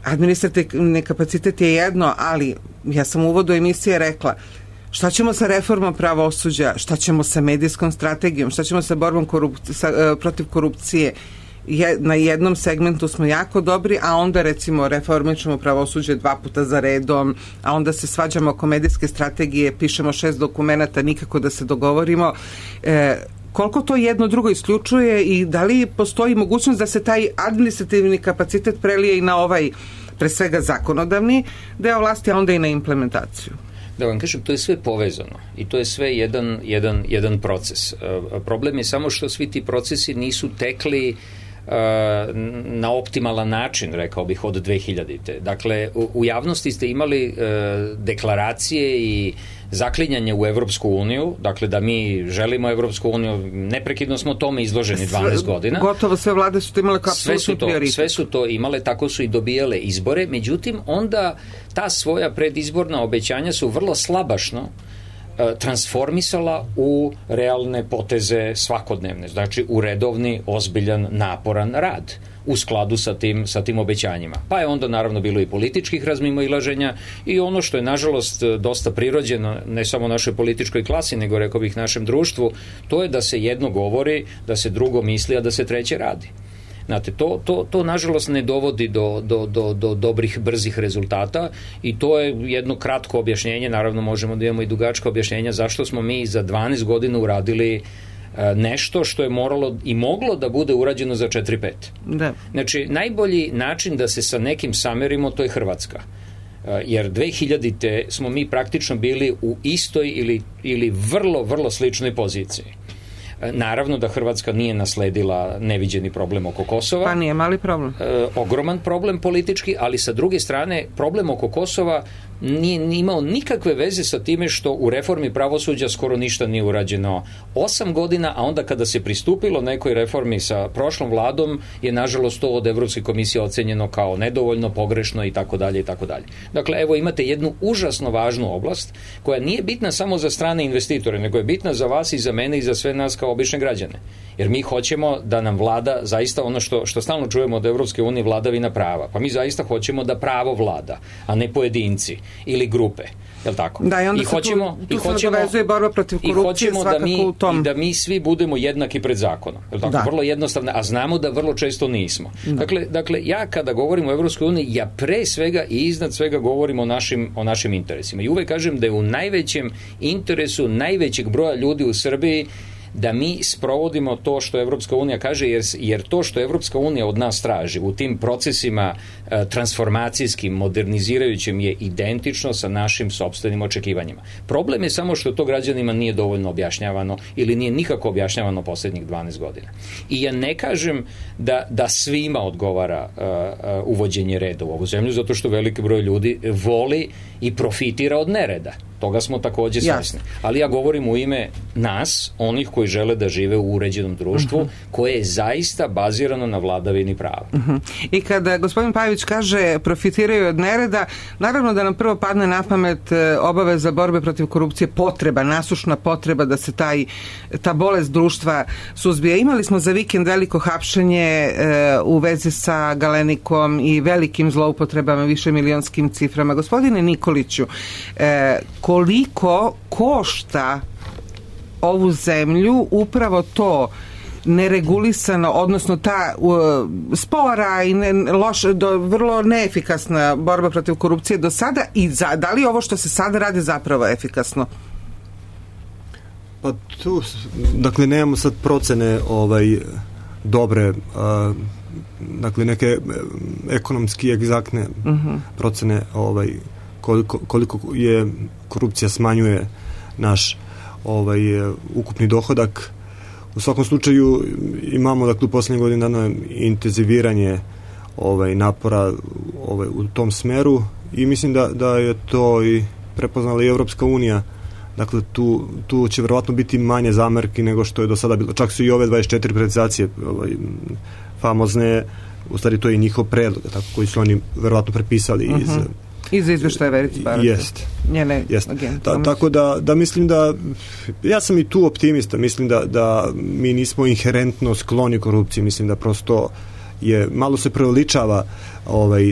administrativni kapacitet je jedno, ali ja sam u uvodu emisije rekla, šta ćemo sa reformom pravosuđa, šta ćemo sa medijskom strategijom, šta ćemo sa borbom protiv korupcije. Na jednom segmentu smo jako dobri, a onda recimo reformićemo pravosuđe 2 puta za redom, a onda se svađamo oko medijske strategije, pišemo 6 dokumenata, nikako da se dogovorimo. Koliko to jedno drugo isključuje i da li postoji mogućnost da se taj administrativni kapacitet prelije i na ovaj, pre svega zakonodavni deo vlasti, a onda i na implementaciju? Da vam kažem, to je sve povezano i to je sve jedan proces. Problem je samo što svi ti procesi nisu tekli na optimalan način, rekao bih, od 2000. Dakle, u javnosti ste imali deklaracije i zaklinjanje u Evropsku uniju, dakle da mi želimo Evropsku uniju, neprekidno smo tome izloženi 12 godina. Gotovo sve vlade su to imale kao apsolutni prioritet. Sve su to imale, tako su i dobijale izbore, međutim onda ta svoja predizborna obećanja su vrlo slabašno transformisala u realne poteze svakodnevne, znači u redovni, ozbiljan, naporan rad u skladu sa tim obećanjima. Pa je onda naravno bilo i političkih razmimoilaženja i ono što je nažalost dosta prirođeno, ne samo našoj političkoj klasi, nego rekao bih našem društvu, to je da se jedno govori, da se drugo misli, a da se treće radi. Znate, to nažalost ne dovodi do dobrih, brzih rezultata i to je jedno kratko objašnjenje, naravno možemo da imamo i dugačko objašnjenja zašto smo mi za 12 godina uradili nešto što je moralo i moglo da bude urađeno za 4-5. Da. Znači, najbolji način da se sa nekim samerimo, to je Hrvatska. Jer 2000-te smo mi praktično bili u istoj ili vrlo, vrlo sličnoj poziciji. Naravno da Hrvatska nije nasledila neviđeni problem oko Kosova. Pa nije mali problem. Ogroman problem politički, ali sa druge strane problem oko Kosova nije imao nikakve veze sa time što u reformi pravosuđa skoro ništa nije urađeno 8 godina, a onda kada se pristupilo nekoj reformi sa prošlom vladom je nažalost to od Evropske komisije ocenjeno kao nedovoljno, pogrešno i tako dalje i tako dalje. Dakle, evo imate jednu užasno važnu oblast koja nije bitna samo za strane investitore, nego je bitna za vas i za mene i za sve nas kao obične građane. Jer mi hoćemo da nam vlada zaista ono što stalno čujemo od Evropske unije, vladavina prava. Pa mi zaista hoćemo da pravo vlada, a ne pojedinci ili grupe. Je li tako? Da, i onda tu se nadovezuje borba protiv korupcije svakako u tom. I da mi svi budemo jednaki pred zakonom. Je li tako? Da. Vrlo jednostavno, a znamo da vrlo često nismo. Dakle, ja kada govorim o Evropskoj uniji, ja pre svega i iznad svega govorim o našim interesima. I uvek kažem da je u najvećem interesu najvećeg broja ljudi u Srbiji da mi sprovodimo to što Evropska unija kaže, jer to što Evropska unija od nas traži u tim procesima transformacijskim, modernizirajućim je identično sa našim sopstvenim očekivanjima. Problem je samo što to građanima nije dovoljno objašnjavano ili nije nikako objašnjavano posljednjih 12 godina. I ja ne kažem da svima odgovara uvođenje reda u ovu zemlju, zato što veliki broj ljudi voli i profitira od nereda. Toga smo takođe svesni. Ali ja govorim u ime nas, onih koji žele da žive u uređenom društvu, koje je zaista bazirano na vladavini prava. I kada gospodin Pajović kaže profitiraju od nereda, naravno da nam prvo padne na pamet obaveza borbe protiv korupcije, potreba, nasušna potreba da se ta bolest društva suzbije. Imali smo za vikend veliko hapšenje u vezi sa Galenikom i velikim zloupotrebama, višemilionskim ciframa. Gospodine Nikoliću, koliko košta ovu zemlju upravo to neregulisano, odnosno ta spora i vrlo neefikasna borba protiv korupcije do sada i da li ovo što se sada radi zapravo efikasno? Pa tu, dakle, nemamo sad procene dobre, dakle, neke ekonomski egzaktne procene koliko je korupcija smanjuje naš ukupni dohodak U svakom slučaju imamo dakle u posljednjih godina intenziviranje napora u tom smeru i mislim da je to i prepoznala i Evropska unija. Dakle, tu će verovatno biti manje zamerki nego što je do sada bilo. Čak su i ove 24 privatizacije famozne, u stvari to je i njihov predlog, tako, koji su oni verovatno prepisali iz izveštaja Verice Barake. Jeste. Tako da mislim da ja sam i tu optimista, mislim da mi nismo inherentno skloni korupciji, mislim da prosto malo se preuveličava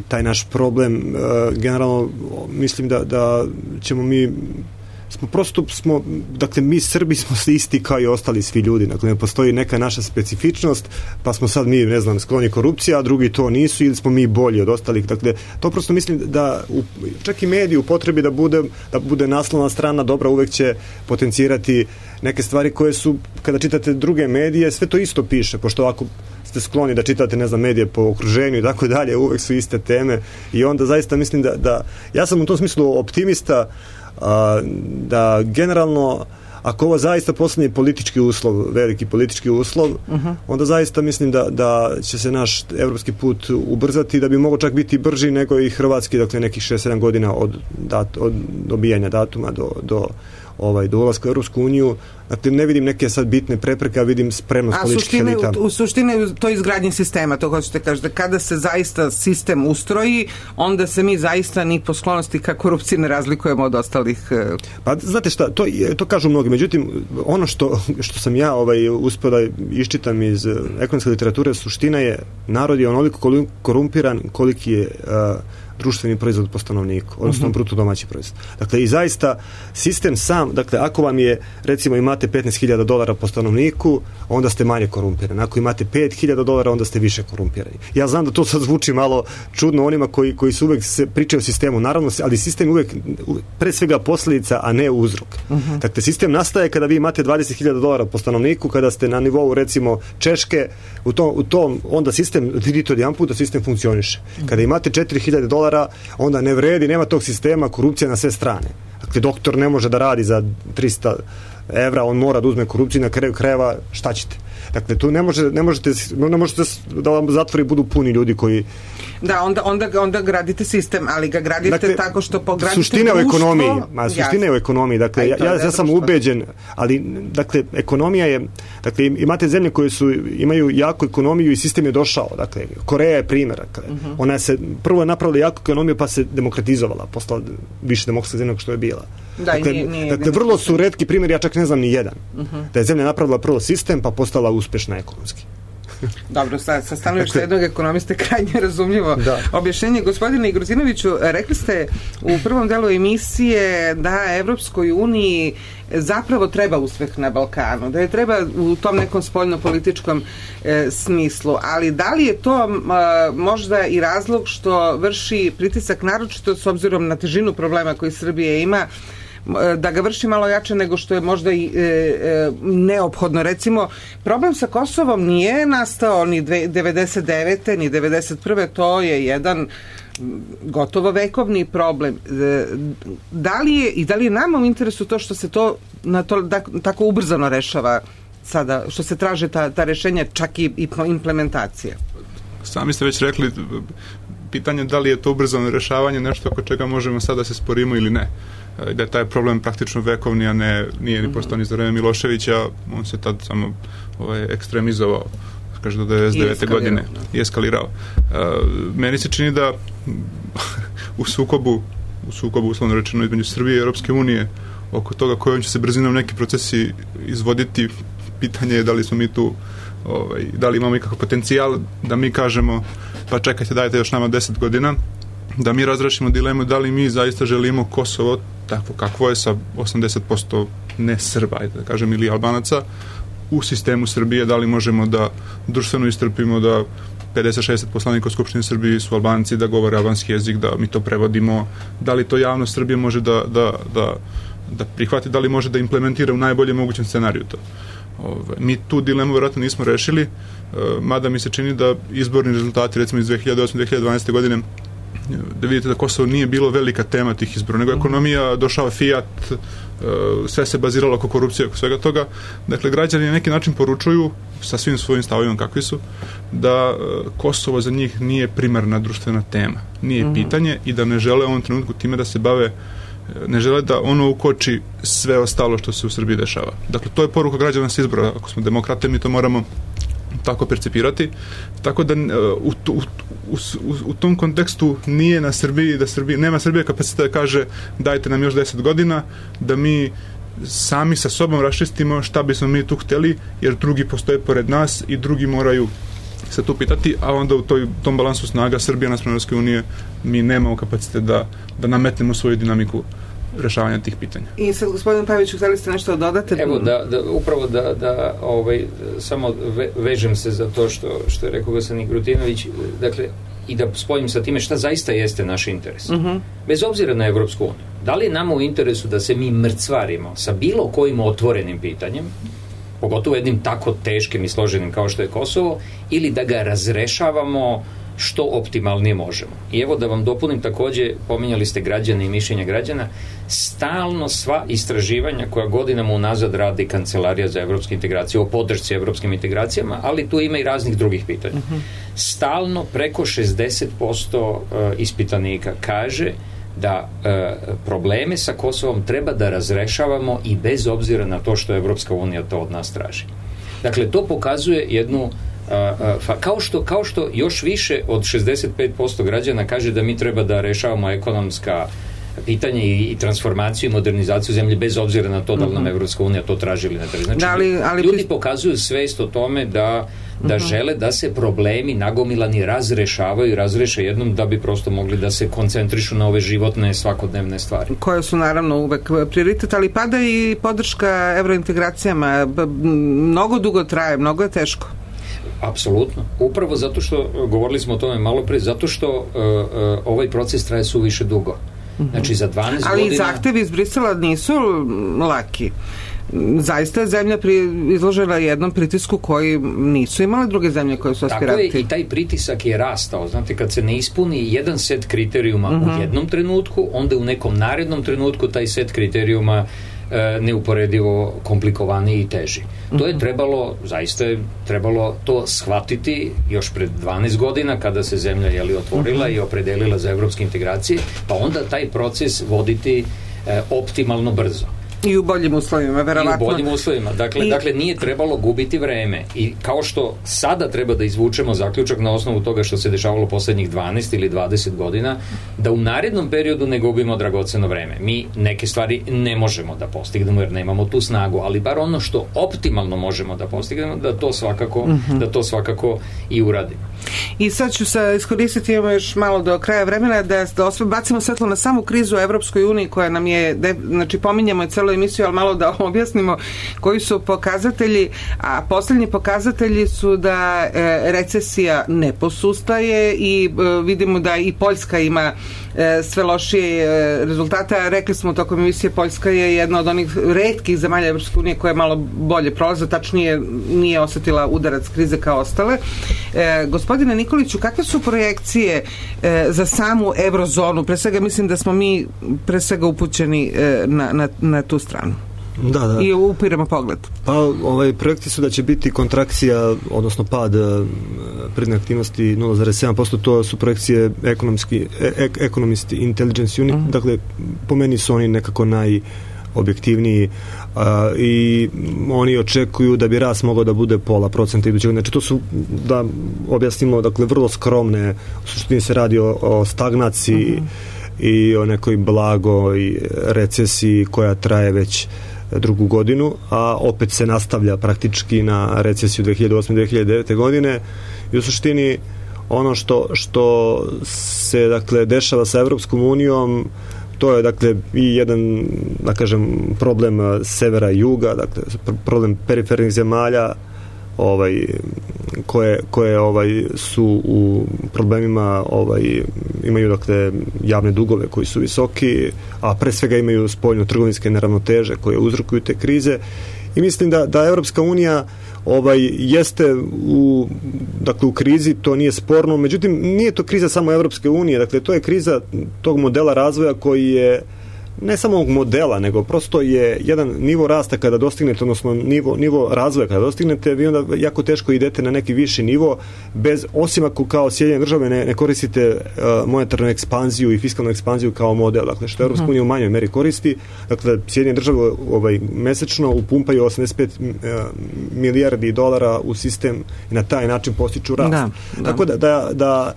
taj naš problem. Generalno mislim da ćemo dakle mi Srbi smo isti kao i ostali svi ljudi, dakle ne postoji neka naša specifičnost, pa smo sad mi, ne znam, skloni korupcija, a drugi to nisu, ili smo mi bolji od ostalih, dakle to prosto mislim da čak i mediji u potrebi da bude naslovna strana dobra uvek će potencirati neke stvari koje su, kada čitate druge medije, sve to isto piše, pošto ako ste skloni da čitate, ne znam, medije po okruženju i tako dalje, uvek su iste teme i onda zaista mislim da ja sam u tom smislu optimista, da generalno ako ovo zaista postane politički uslov, veliki politički uslov, onda zaista mislim da će se naš evropski put ubrzati, da bi mogao čak biti brži nego i hrvatski, dakle nekih 6-7 godina od dobijanja datuma do ulaska u Europsku uniju. Dakle, ne vidim neke sad bitne prepreke, a vidim spremnost političkih elita. U suštini to je izgradnje sistema, to hoćete kažete, kada se zaista sistem ustroji, onda se mi zaista ni po sklonosti ka korupciji ne razlikujemo od ostalih. Pa znate šta, to kažu mnogi, međutim ono što sam ja uspio da iščitam iz ekonomske literature, suština je, narod je onoliko korumpiran koliki je društveni proizvod po stanovniku, odnosno bruto domaći proizvod. Dakle, i zaista sistem sam, dakle, ako vam je, recimo, imate $15,000 po stanovniku, onda ste manje korumpirani. Ako imate $5,000, onda ste više korumpirani. Ja znam da to sad zvuči malo čudno onima koji su uvek se pričaju o sistemu, naravno, ali sistem uvek pre svega posljedica, a ne uzrok. Dakle, sistem nastaje kada vi imate $20,000 po stanovniku, kada ste na nivou, recimo, Češke, u tom onda sistem, vidite od jedan puta, sistem funkcioniše. Kada imate $4,000, onda ne vredi, nema tog sistema, korupcija na sve strane. Dakle, doktor ne može da radi za 300 evra, on mora da uzme korupciju, na kraju krajeva šta ćete? Dakle, tu ne možete da vam zatvori budu puni ljudi koji... Da, onda gradite sistem, ali ga gradite tako što pogradite suština društvo... Suština je u ekonomiji. Dakle, ja sam ubeđen, ali, dakle, ekonomija je... Dakle, imate zemlje koje imaju jaku ekonomiju i sistem je došao. Dakle, Koreja je primjer. Dakle, ona se prvo je napravila jaku ekonomiju, pa se demokratizovala, postala više demokratska zemlja što je bila. Dakle, vrlo su retki primjeri, ja čak ne znam ni jedan. Da je zemlja napravila prvo sistem, pa postala uspešna ekonomski. Dobro, sa stanovišta jednog ekonomiste krajnje razumljivo objašnjenje. Gospodine Gruzinoviću, rekli ste u prvom delu emisije da Evropskoj uniji zapravo treba uspeh na Balkanu, da je treba u tom nekom spoljno-političkom smislu, ali da li je to možda i razlog što vrši pritisak, naročito s obzirom na težinu problema koji Srbija ima, da ga vrši malo jače nego što je možda i neophodno. Recimo, problem sa Kosovom nije nastao ni 99. ni 91. To je jedan gotovo vekovni problem. Da li je nama u interesu to što se to tako ubrzano rešava sada, što se traže ta rešenja, čak i implementacija? Sami ste već rekli, pitanje da li je to ubrzano rešavanje nešto oko čega možemo sada da se sporimo ili ne. Da je taj problem praktično vekovni, a nije ni postao ni za vreme Miloševića, on se tad samo ekstremizovao, kaže do 99. godine i eskalirao. Meni se čini da u sukobu uslovno rečeno između Srbije i Europske unije oko toga kojom će se brzinom neki procesi izvoditi, pitanje je da li smo mi tu da li imamo ikakav potencijal da mi kažemo pa čekajte, dajte još nama 10 godina da mi razrešimo dilemu da li mi zaista želimo Kosovo takvo kakvo je sa 80% ne Srba, da kažem, ili Albanaca u sistemu Srbije, da li možemo da društveno istrpimo da 50-60 poslanika u Skupštini Srbije su Albanci, da govore albanski jezik, da mi to prevodimo, da li to javnost Srbije može da prihvati, da li može da implementira u najboljem mogućem scenariju to. Mi tu dilemu vjerojatno nismo rešili, mada mi se čini da izborni rezultati recimo iz 2008-2012. godine da vidite da Kosovo nije bilo velika tema tih izbora, nego ekonomija, došao Fiat, sve se baziralo oko korupcije, oko svega toga. Dakle, građani na neki način poručuju sa svim svojim stavovima kakvi su, da Kosovo za njih nije primarna društvena tema, nije pitanje i da ne žele u ovom trenutku time da se bave, ne žele da ono ukoči sve ostalo što se u Srbiji dešava. Dakle, to je poruka građana sa izbora. Ako smo demokrate, mi to moramo tako percipirati. Tako da u tom kontekstu nije na Srbiji, nema Srbije kapaciteta da kaže dajte nam još 10 godina, da mi sami sa sobom raščistimo šta bismo mi tu hteli, jer drugi postoje pored nas i drugi moraju se tu pitati, a onda u tom balansu snaga Srbija naspram Evropske unije mi nemamo kapacitet da nametnemo svoju dinamiku rešavanja tih pitanja. I sad, gospodin Paviću, htjeli ste nešto dodati? Evo, upravo da samo vežem se za to što je rekao gospodin Grutinović, dakle, i da spojim sa time šta zaista jeste naš interes. Bez obzira na Evropsku uniju. Da li je nama u interesu da se mi mrcvarimo sa bilo kojim otvorenim pitanjem, pogotovo jednim tako teškim i složenim kao što je Kosovo, ili da ga razrešavamo što optimalnije možemo. I evo da vam dopunim takođe, pominjali ste građane i mišljenja građana, stalno sva istraživanja koja godinama unazad radi Kancelarija za evropske integracije o podršci evropskim integracijama, ali tu ima i raznih drugih pitanja. Stalno preko 60% ispitanika kaže da probleme sa Kosovom treba da razrešavamo i bez obzira na to što Evropska unija to od nas traži. Dakle, to pokazuje jednu kao što još više od 65% građana kaže da mi treba da rešavamo ekonomska pitanja i transformaciju i modernizaciju zemlje bez obzira na to da li nam Evropska unija to traži ili ne traži. Znači, ljudi pokazuju svest o tome da žele da se problemi nagomilani razrešavaju i razreše jednom da bi prosto mogli da se koncentrišu na ove životne svakodnevne stvari. Koje su naravno uvek prioritet, ali pada i podrška evrointegracijama. Mnogo dugo traje, mnogo je teško. Apsolutno. Upravo zato što, govorili smo o tome malo pre, zato što ovaj proces traje suviše dugo. Znači za 12 godina... Ali zahtevi iz Brisela nisu laki. Zaista je zemlja izložena jednom pritisku koji nisu imale druge zemlje koje su aspiranti. Tako je, i taj pritisak je rastao. Znate, kad se ne ispuni jedan set kriterijuma u jednom trenutku, onda u nekom narednom trenutku taj set kriterijuma neuporedivo komplikovaniji i teži. To je zaista je trebalo to shvatiti još pred 12 godina kada se zemlja otvorila i opredelila za evropske integracije, pa onda taj proces voditi optimalno brzo. I u boljim uslovima, verovatno. I u boljim uslovima. Dakle, nije trebalo gubiti vreme. I kao što sada treba da izvučemo zaključak na osnovu toga što se dešavalo poslednjih 12 ili 20 godina, da u narednom periodu ne gubimo dragoceno vreme. Mi neke stvari ne možemo da postignemo jer nemamo tu snagu, ali bar ono što optimalno možemo da postignemo, da to svakako i uradimo. I sad ću se iskoristiti, imamo još malo do kraja vremena, da bacimo svetlo na samu krizu u Evropskoj uniji koja nam je, znači pominjamo je celu emisiju, ali malo da objasnimo koji su pokazatelji, a poslednji pokazatelji su da recesija ne posustaje i vidimo da i Poljska ima sve lošije rezultata. Rekli smo tokom emisije, Poljska je jedna od onih retkih zemalja Evropske unije koja je malo bolje prolaza, tačnije nije osetila udarac krize kao ostale. Gospodine Nikoliću, kakve su projekcije za samu eurozonu? Pre svega mislim da smo mi pre svega upućeni na tu stranu. Da. I upiramo pogled. Pa, projekti su da će biti kontrakcija, odnosno pad privredne aktivnosti 0,7%, to su projekcije Economist Intelligence Unit, dakle, po meni su oni nekako najobjektivniji i oni očekuju da bi rast mogao da bude 0,5% idućeg. Znači, to su, da objasnimo, dakle, vrlo skromne, u suštini se radi o stagnaciji i o nekoj blagoj recesiji koja traje već drugu godinu, a opet se nastavlja praktički na recesiju 2008-2009. godine i u suštini ono što se, dakle, dešava sa Evropskom unijom, to je, dakle, i jedan, da kažem, problem severa i juga, dakle, problem perifernih zemalja koje su u problemima, imaju, dakle, javne dugove koji su visoki, a pre svega imaju spoljno-trgovinske neravnoteže koje uzrokuju te krize I mislim da Evropska unija jeste u krizi, to nije sporno, međutim nije to kriza samo Evropske unije, dakle to je kriza tog modela razvoja koji je ne samo ovog modela, nego prosto je jedan nivo rasta kada dostignete, odnosno nivo razvoja kada dostignete, vi onda jako teško idete na neki viši nivo, osim ako kao Sjedinjene države ne koristite monetarnu ekspanziju i fiskalnu ekspanziju kao model, dakle što Evropska unija u manjoj meri koristi, dakle Sjedinjene države mesečno upumpaju 85 milijardi dolara u sistem i na taj način postiču rast. Tako da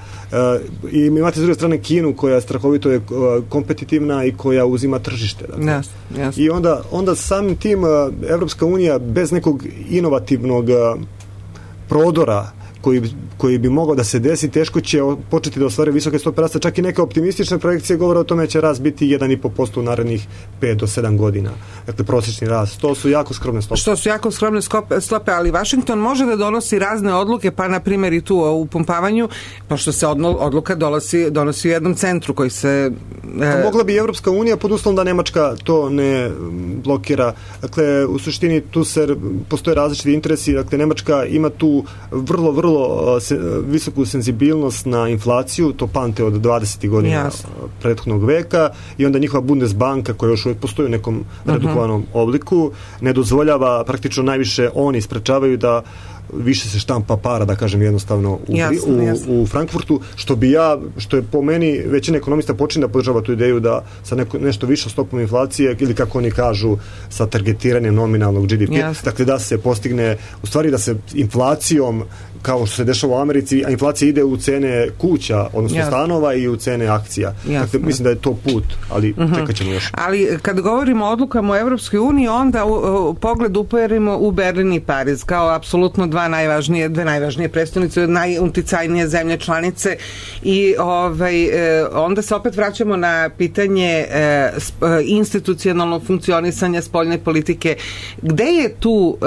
i imate s druge strane Kinu koja strahovito je kompetitivna i koja uzima tržište. Dakle. I onda samim tim Evropska unija bez nekog inovativnog prodora koji bi mogao da se desi, teško će početi da ostvari visoke stope rasta. Čak i neke optimistične projekcije govore o tome da će rast biti 1,5% u narednih 5 do 7 godina. Dakle, prosječni rast. To su jako skromne stope. Što su jako skromne stope, ali Washington može da donosi razne odluke, pa na primjer i tu o upumpavanju, pošto se odluka donosi u jednom centru koji se... Mogla bi Evropska unija pod uslovom da Nemačka to ne blokira. Dakle, u suštini tu postoje različiti interesi. Dakle, Nemačka ima tu vrlo visoku senzibilnost na inflaciju, to pamte od 20. godina prethodnog veka, i onda njihova Bundesbanka, koja još uvijek postoji u nekom redukovanom obliku, ne dozvoljava, praktično najviše oni sprečavaju da više se štampa para, da kažem jednostavno u Frankfurtu, što je po meni većina ekonomista počinje da podržava tu ideju da sa nešto više stopom inflacije, ili kako oni kažu sa targetiranjem nominalnog GDP, dakle da se postigne, u stvari da se inflacijom, kao što se dešava u Americi, a inflacija ide u cene kuća, odnosno stanova, i u cene akcija. Dakle, mislim da je to put, ali čekat ćemo još. Ali kad govorimo o odlukama u Evropskoj uniji, onda pogled uperimo u Berlin i Pariz, kao apsolutno dve najvažnije prestonice, najuticajnije zemlje članice, i onda se opet vraćamo na pitanje institucionalnog funkcionisanja spoljne politike. Gde je tu,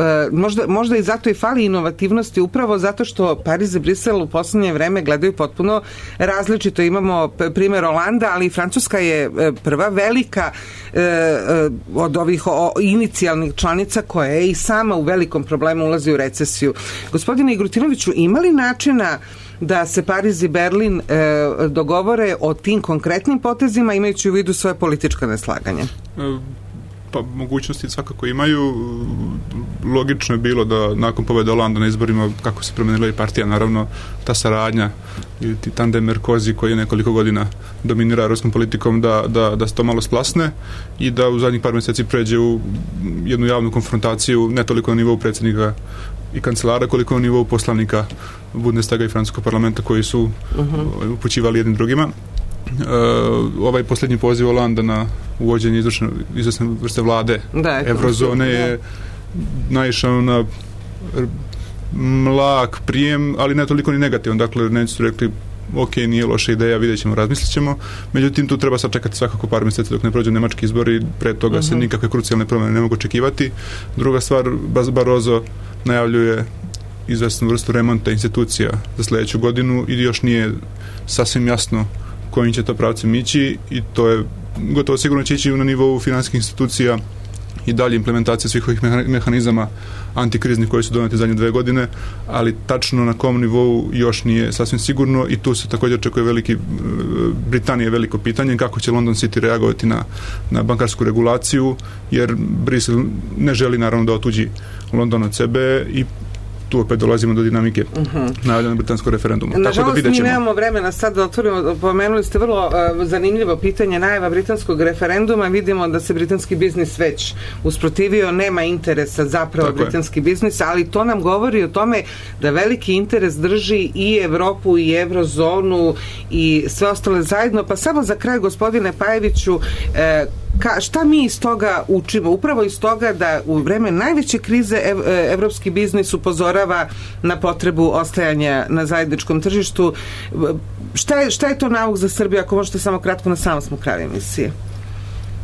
možda i zato i fali inovativnosti, upravo zato što Pariz i Brisel u poslednje vreme gledaju potpuno različito. Imamo primjer Olanda, ali Francuska je prva velika od ovih inicijalnih članica koja je i sama u velikom problemu, ulazi u recesiju. Gospodine Igrutinoviću, ima li načina da se Pariz i Berlin dogovore o tim konkretnim potezima, imajući u vidu svoje politička neslaganja? Pa mogućnosti svakako imaju. Logično je bilo da nakon pobjede Olanda na izborima, kako se promenila i partija, naravno ta saradnja i tandem Merkozy koji je nekoliko godina dominira europskom politikom, da se to malo splasne i da u zadnjih par mjeseci pređe u jednu javnu konfrontaciju, ne toliko na nivou predsjednika i kancelara, koliko na nivou poslanika Bundestaga i francuskog parlamenta koji su upućivali jednim drugima. Ovaj posljednji poziv Olanda na uvođenje izvršne vrste vlade Eurozone je naišao na mlak prijem, ali ne toliko ni negativan. Dakle, neći su rekli ok, nije loša ideja, vidjet ćemo, razmislit ćemo. Međutim, tu treba sačekati svakako par mjeseci dok ne prođu nemački izbori, pre toga se nikakve krucijalne promjene ne mogu očekivati. Druga stvar, Barroso najavljuje izvesnu vrstu remonta institucija za sljedeću godinu i još nije sasvim jasno kojim će to pravcem ići, i to je gotovo sigurno će ići na nivou financijskih institucija i dalje implementacija svih ovih mehanizama antikriznih koji su doneti zadnje 2 godine, ali tačno na kom nivou još nije sasvim sigurno, i tu se također očekuje Britanija veliko pitanje kako će London City reagovati na bankarsku regulaciju, jer Brisel ne želi naravno da otuđi London od sebe, i tu opet dolazimo do dinamike najavljenog britanskog referenduma. Nažalost, mi nemamo vremena sad da otvorimo. Pomenuli ste vrlo zanimljivo pitanje najava britanskog referenduma. Vidimo da se britanski biznis već usprotivio, nema interesa zapravo britanski biznis, ali to nam govori o tome da veliki interes drži i Evropu i Eurozonu i sve ostale zajedno. Pa samo za kraj, gospodine Pajeviću, šta mi iz toga učimo? Upravo iz toga da u vreme najveće krize evropski biznis upozorava na potrebu ostajanja na zajedničkom tržištu. Šta je to nauk za Srbiju, ako možete samo kratko, na samom smo kraju emisije?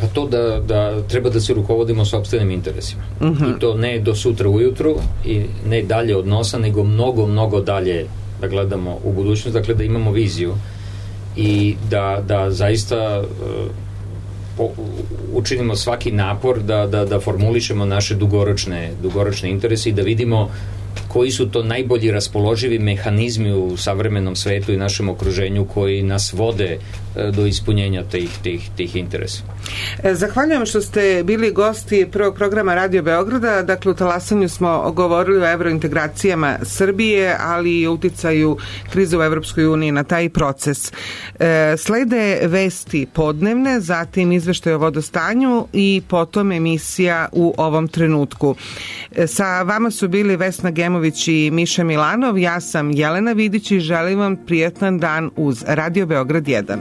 Pa to da treba da se rukovodimo sopstvenim interesima. I to ne do sutra ujutru i ne dalje od nosa, nego mnogo dalje da gledamo u budućnost, dakle da imamo viziju i da zaista učinimo svaki napor da formulišemo naše dugoročne interese i da vidimo koji su to najbolji raspoloživi mehanizmi u savremenom svetu i našem okruženju koji nas vode do ispunjenja tih interesa. Zahvaljujem što ste bili gosti prvog programa Radio Beograda. Dakle, u Talasanju smo govorili o evrointegracijama Srbije, ali i o uticaju krize u Evropskoj uniji na taj proces. Slede vesti podnevne, zatim izveštaj o vodostanju i potom emisija U ovom trenutku. Sa vama su bili Vesna Gemović i Miša Milanov. Ja sam Jelena Vidić i želim vam prijetan dan uz Radio Beograd 1.